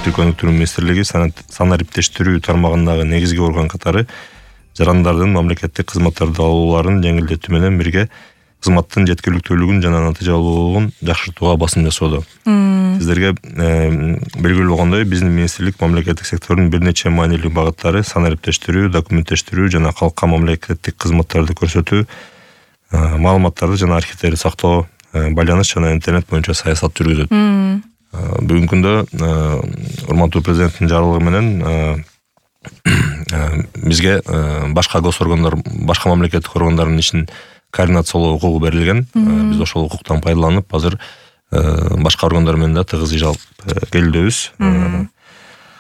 Кызматтык тиркөө өнүктүрүү министрлиги санариптештирүү тармагындагы негизги орган катары жарандардын мамлекеттик кызматтарды алууларын жеңилдетүү менен бирге кызматтын жеткиликтүүлүгүн жана натыйжалуулугун жакшыртууга басым жасоодо. Сиздерге белгилүү болгондой, биздин министрлик мамлекеттик сектордун бир нече маанилүү багыттары санариптештирүү, документтештирүү жана калкка мамлекеттик кызматтарды көрсөтүү, маалыматтарды жана архивдерди сактоо, байланыш жана интернет боюнча саясат жүргүзөт. Бүгүнкү күндө урматтуу президенттин жарлыгы менен бизге башка мамлекеттик органдардын ишин координациялоо укугу берилген. Биз ошол укуктан пайдаланып, азыр башка органдар менен да тыгыз иш алып келүүбүз.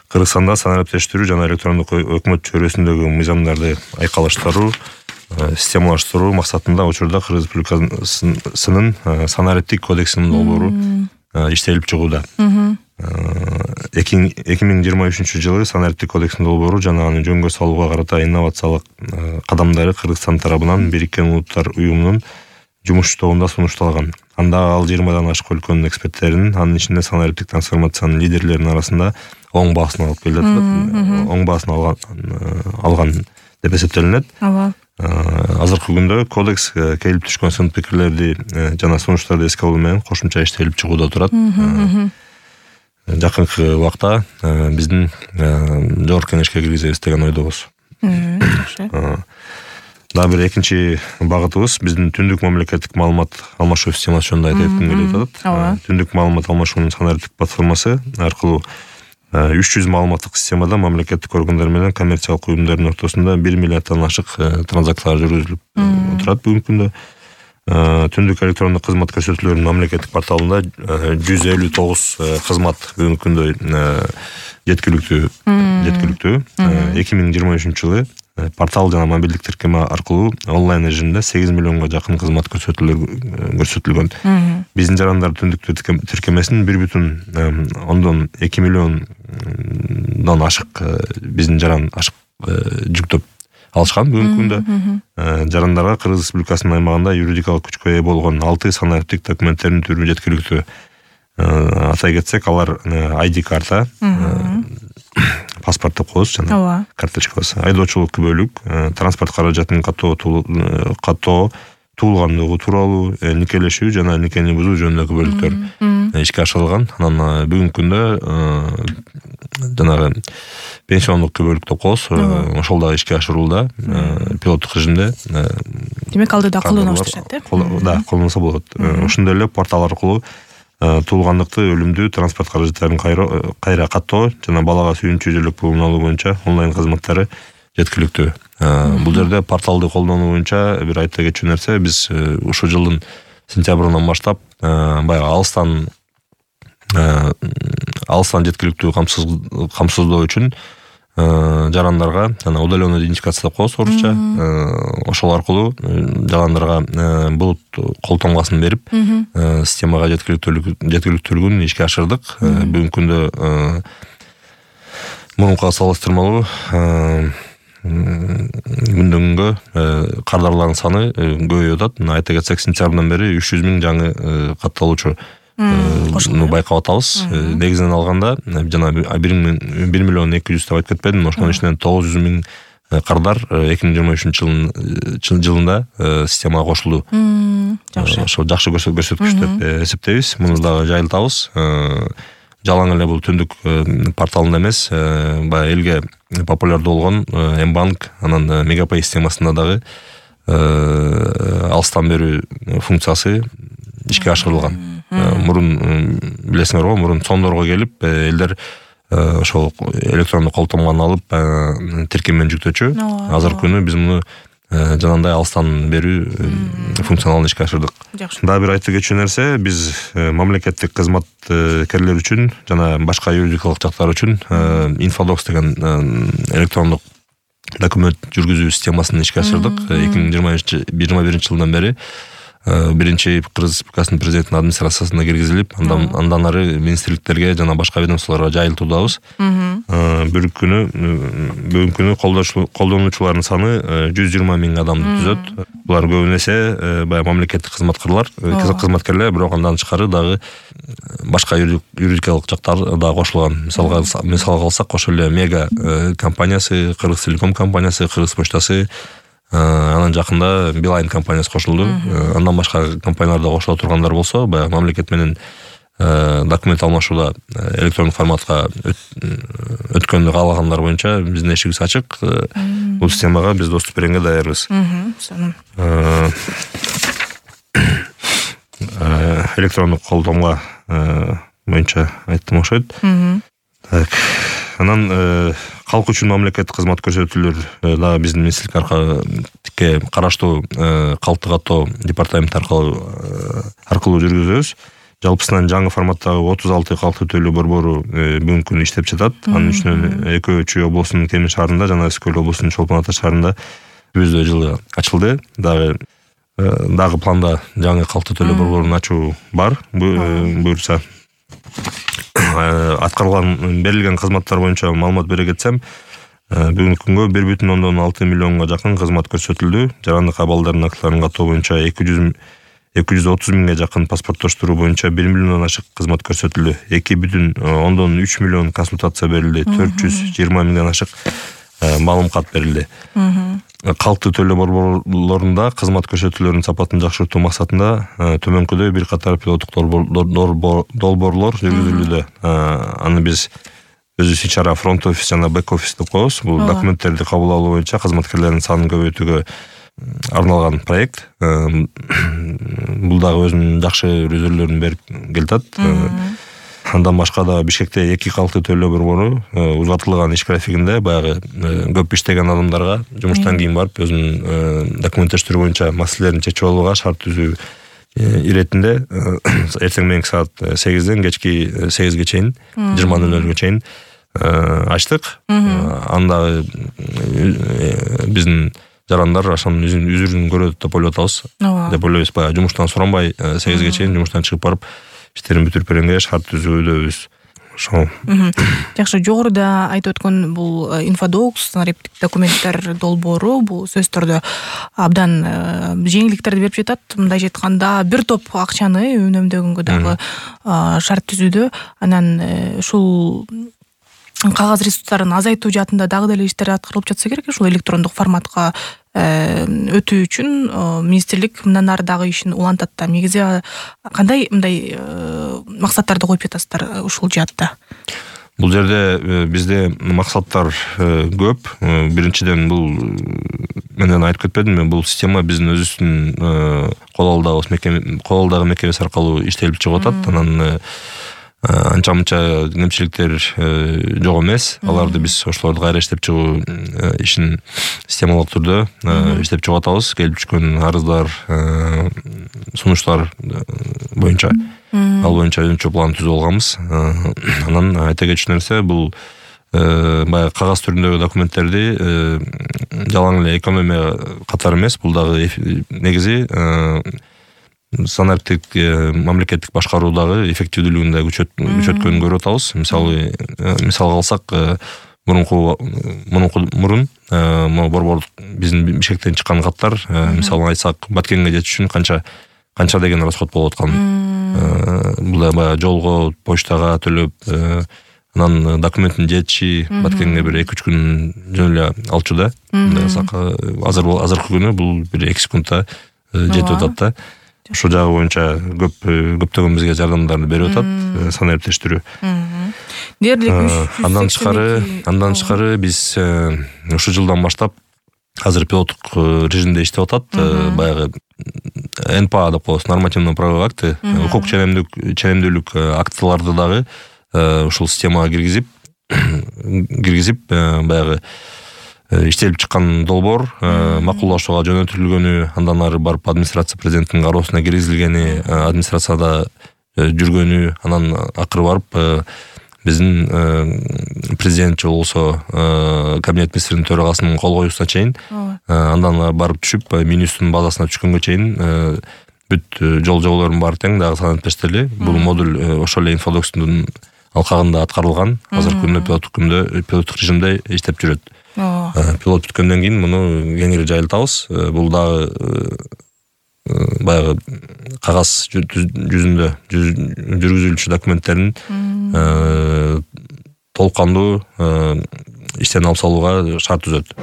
Кыргызстанда санариптештирүү жана электрондук өкмөт чөйрөсүндөгү мыйзамдарды айкалыштыруу, системалаштыруу максатында учурда Кыргыз Республикасынын санариптик кодексинин долбоору иштелип чыгууда. 2023-жылы санариптик кодекстин долбоору жана аны жөнгө салууга карата инновациялык кадамдары Кыргызстан тарабынан Бириккен Улуттар уюмунун жумуш тобунда сунушталган. Анда ал 20дан ашык өлкөнүн эксперттеринин, анын ичинде санариптик трансформациянын лидерлеринин арасында оң баасын алып келет. Оң баасын алган деп эсептелинет. Азыркы күндө кодекс келип түшкөн сын пикирлерди жана сунуштарды эске алуу менен кошумча иштелип чыгууда турат. Жакынкы убакта биздин жогорку кеңешке киргизебиз деген ойдобуз. Дагы бир экинчи багытыбыз биздин түндүк мамлекеттик маалымат алмашуу системасы жөнүндө айта кетким келип атат. Түндүк маалымат алмашуунун санариптик платформасы аркылуу 300 маалыматтык системада мамлекеттик органдар менен коммерциялык уюмдардын ортосунда 1 миллиарддан ашык транзакциялар жүргүзүлүп турат бүгүнкү күндө. Түндүк электрондук кызмат көрсөтүүлөрүнүн мамлекеттик порталында 159 кызмат бүгүнкү күндө жеткиликтүү. 2023-жылы портал жана мобилдик тиркеме аркылуу онлайн режимде 8 миллионго жакын кызмат көрсөтүлгөн. Биздин жарандар түндүк тиркемесин 1,2 миллиондон ашык биздин жаран ашык жүктөп алышкан. Бүгүнкү күндө жарандарга Кыргыз Республикасынын аймагында юридикалык күчкө ээ болгон 6 санариптик документтердин түрү жеткиликтүү. Атай кетсек, алар ID карта, паспорт деп коебуз жана карточкабыз, айдоочулук күбөлүк, транспорт каражатынын каттоо, туулгандыгы тууралуу, никелешүү жана никени бузуу жөнүндөгү күбөлүктөр ишке ашырылган. Анан бүгүнкү күндө жанагы пенсиондук күбөлүк деп коебуз, ошол дагы ишке ашырылууда, пилоттук режимде. Демек алды да колдоно башташат, Да, колдонсо болот. Ошондой эле портал аркылуу туулгандыкты, өлүмдү, транспорт каражаттарын кайра каттоо жана балага сүйүнчү жилдик пулун алуу боюнча онлайн кызматтары жеткиликтүү. Бул жерде порталды колдонуу боюнча бир айта кетчү нерсе, биз ушул жылдын сентябрынан баштап баягы алыстан жеткиликтүү камсыздоо үчүн жарандарга жана удалённый идентификация деп коебуз орусча, ошол аркылуу жарандарга булут кол тоңгосын берип системага жеткиликтүүлүгүн ишке ашырдык. Бүгүнкү күндө мурункуга салыштырмалуу күндөн күнгө кардарлардын саны көбөйүп атат. Айта кетсек, сентябрдан бери 300 миң жаңы катталуучу байкап атабыз. Негизинен алганда жана 1 миллион 200 деп айтып кетпедим, ошонун ичинен 900 миң кардар 2023 жылында системага кошулду. Ошо жакшы көрсөткүч деп эсептейбиз. Муну дагы жайылтабыз. Жалаң эле бул түндүк порталында эмес, баягы элге популярдуу болгон М-банк, анан Мегапay системасында дагы алыстан берүү функциясы ишке ашырылган. Мурун билесиңерби, мурун сондорго келип, элдер ошол электрондук кол тоңгону алып тиркемени жүктөчү. Азыркы күнү биз муну жанагындай алыстан берүү функционалын ишке ашырдык. Дагы бир айта кетчү нерсе, биз мамлекеттик кызматкерлер үчүн жана башка юридикалык жактар үчүн Infodocс деген электрондук документ жүргүзүү системасын ишке ашырдык. 2021 жылдан бери биринчи Кыргыз Республикасынын президентинин администрациясына киргизилип, андан ары министрликтерге жана башка ведомстволорго жайылтуудабыз. бүгүнкү күнү колдонуучулардын саны 120 000 адамды түзөт. Булар көбүнесе баягы мамлекеттик кызматкерлер, бирок андан тышкары дагы башка юридикалык жактар да кошулган. Мисалга алсак, ошол эле Мега компаниясы, Кыргыз Телеком компаниясы, Кыргыз почтасы, анан жакында Билайн компаниясы кошулду. Андан башка компаниялар да кошула тургандар болсо, баягы мамлекет менен документ алмашууда электрондук форматка өткөндү каалагандар боюнча биздин эшигибиз ачык. Бул системага биз доступ бергенге даярбыз. Электрондук колдонма боюнча айттым окшойт. Так. Анан калк үчүн мамлекеттик кызмат көрсөтүүлөр дагы биздин министрликке караштуу калктык каттоо департаменти аркылуу жүргүзөбүз. Жалпысынан жаңы форматтагы 36 калктуу төлөө борбору бүгүнкү күнү иштеп жатат. Анын үчүнөн Экөө облусунун Темир шаарында жана Ысык-Көл облусунун Чолпон Ата шаарында өзү жылы ачылды. Дагы планда жаңы калктуу төлөө борборун ачуу бар. Буюрса аткарылган берилген кызматтар боюнча маалымат бере кетсем, бүгүнкү күнгө 1,6 миллионго жакын кызмат көрсөтүлдү. Жарандык абалдардын актыларын каттоо боюнча 230 000 жакын паспорттоштуруу боюнча 1 миллиондон ашык кызмат көрсөтүлдү. 2,3 миллион консультация берилди. 420 000 ашык маалым кат берилди. Калктуу төлөө борборлорунда кызмат көрсөтүүлөрүнүн сапатын жакшыртуу максатында төмөнкүдөй бир катар пилоттук долбоорлор жүргүзүлүүдө. Аны биз өзүбүз ичара фронт офис жана бэк офис деп коебуз. Бул документтерди кабыл алуу боюнча кызматкерлердин санын көбөйтүүгө арналган проект. Бул дагы өзүнүн жакшы результаттарын берип келатат. Андан башка да Бишкекте 2 калктуу төлөө борбору узартылган иш графигинде баягы көп иштеген адамдарга жумуштан кийин барып өзүнүн документтештирүү боюнча маселелерин чечип алууга шарт түзүү иретинде эртең мененки саат 8ден кечки 8ге чейин 20:00 чейин ачтык. Анда биздин жарандар ошонун үзүрүн көрөт деп ойлоп атабыз. Деп ойлойбуз, баягы жумуштан суранбай 8ге чейин жумуштан чыгып барып иштерин бүтүрүп бергенге шарт түзүүдөбүз. Ошол. Жакшы, жогоруда айтып өткөн бул инфодокс, нариптик документтер долбоору бул сөзсүз түрдө абдан жеңилдиктерди берип жатат. Мындай айтканда, бир топ акчаны үнөмдөгөнгө дагы шарт түзүүдө. Анан ушул кагаз ресурстарын азайтуу жаатында дагы деле иштер аткарылып жатса керек. Ушул электрондук форматка өтүү үчүн министрлик мындан ары дагы ишин улантат да. Негизи кандай мындай максаттарды коюп жатасыздар ушул жаатта? Бул жерде бизде максаттар көп. Биринчиден бул менден айтып кетпедимби, бул система биздин өзүбүздүн колдагы мекемеси аркылуу иштелип чыгып атат. Анан анча-мынча кемчиликтер жок эмес. Аларды биз ошолорду кайра иштеп чыгуу ишин системалык түрдө иштеп чыгып атабыз. Келип түшкөн арыздар, сунуштар боюнча ал боюнча өзүнчө план түзүп алганбыз. Анан айта кетчү нерсе, бул баягы кагаз түрүндөгү документтерди жалаң эле экономия катары эмес, бул дагы негизи санариптик мамлекеттик башкаруудагы эффективдүүлүгүн да күчөткөнүн көрүп атабыз. Мисалга алсак, мурун борбор биздин Бишкектен чыккан каттар, мисалга айтсак, Баткенге жетиш үчүн канча деген расход болуп аткан. Бул да жолго, почтага төлөп, анан документин жетиши Баткенге бир 2-3 күн жөн эле алчу да. Азыркы күнү бул бир 2 секундта жетип атат да. Ошол жагы боюнча көптөгөн бизге жардамдарды берип атат, санариптештирүү. Андан тышкары биз ушул жылдан баштап азыр пилоттук режимде иштеп атат. Баягы НПА деп коебуз, нормативно-правовые акты, укук ченемдүүлүк актыларды дагы ушул системага киргизип баягы иштелип чыккан долбоор макулдашууга жөнөтүлгөнү, андан ары барып администрация президенттин кароосуна киргизилгени, администрацияда жүргөнү, анан акыры барып биздин президент же болбосо кабинет министринин төрагасынын кол коюусуна чейин, андан барып түшүп Минюсттун базасына түшкөнгө чейин бүт жол жоболордун баары тең дагы санариптештирили. Бул модуль ошол эле инфодокстун алкагында аткарылган. Азыркы күндө пилоттук режимде иштеп жүрөт. Пилот бүткөндөн кийин муну кеңири жайылтабыз. Бул дагы баягы кагаз жүзүндө жүргүзүлчү документтерин толук кандуу иштен алып салууга шарт түзөт.